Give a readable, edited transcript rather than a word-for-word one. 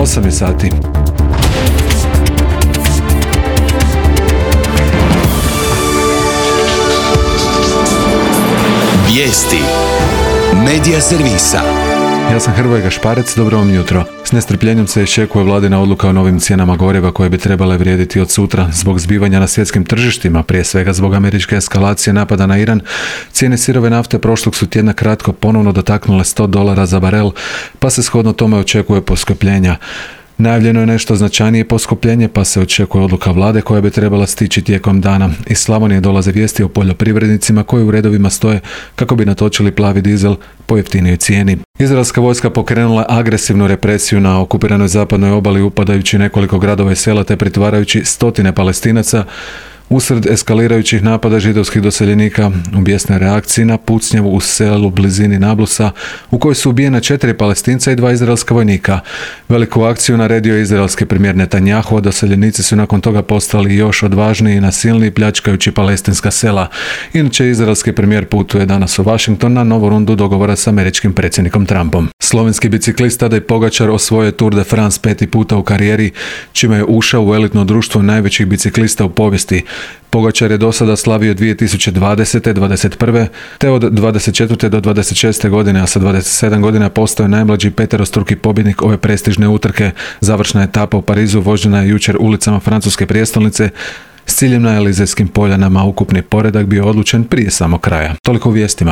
8 je sati. Vijesti Medija servisa. Ja sam Hrvoje Gašparec, dobro vam jutro. S nestrpljenjem se iščekuje vladina odluka o novim cijenama goriva koje bi trebale vrijediti od sutra. Zbog zbivanja na svjetskim tržištima, prije svega zbog američke eskalacije napada na Iran, cijene sirove nafte prošlog su tjedna kratko ponovno dotaknule $100 za barel, pa se shodno tome očekuje poskupljenja. Najavljeno je nešto značajnije poskupljenje, pa se očekuje odluka vlade koja bi trebala stići tijekom dana. Iz Slavonije dolaze vijesti o poljoprivrednicima koji u redovima stoje kako bi natočili plavi dizel po jeftinijoj cijeni. Izraelska vojska pokrenula agresivnu represiju na okupiranoj zapadnoj obali, upadajući nekoliko gradova i sela te pritvarajući stotine Palestinaca. Usred eskalirajućih napada židovskih doseljenika u bijesnoj reakciji na pucnjavu u selu blizini Nablusa u kojoj su ubijena 4 Palestinca i 2 izraelska vojnika. Veliku akciju naredio je izraelski premijer Netanjahu, a doseljenici su nakon toga postali još odvažniji i nasilniji, pljačkajući palestinska sela. Inače, izraelski premijer putuje danas u Washington na novu rundu dogovora s američkim predsjednikom Trumpom. Slovenski biciklist Tadej Pogačar osvojio Tour de France 5. puta u karijeri, čime je ušao u elitno društvo najvećih biciklista u povijesti. Pogačar je do sada slavio 2020. 21. te od 24. do 26. godine, a sa 27 godina postao je najmlađi peterostruki pobjednik ove prestižne utrke. Završna etapa u Parizu vožena je jučer ulicama francuske prijestolnice s ciljem na Elizejskim poljanama. Ukupni poredak bio odlučen prije samog kraja. Toliko u vijestima.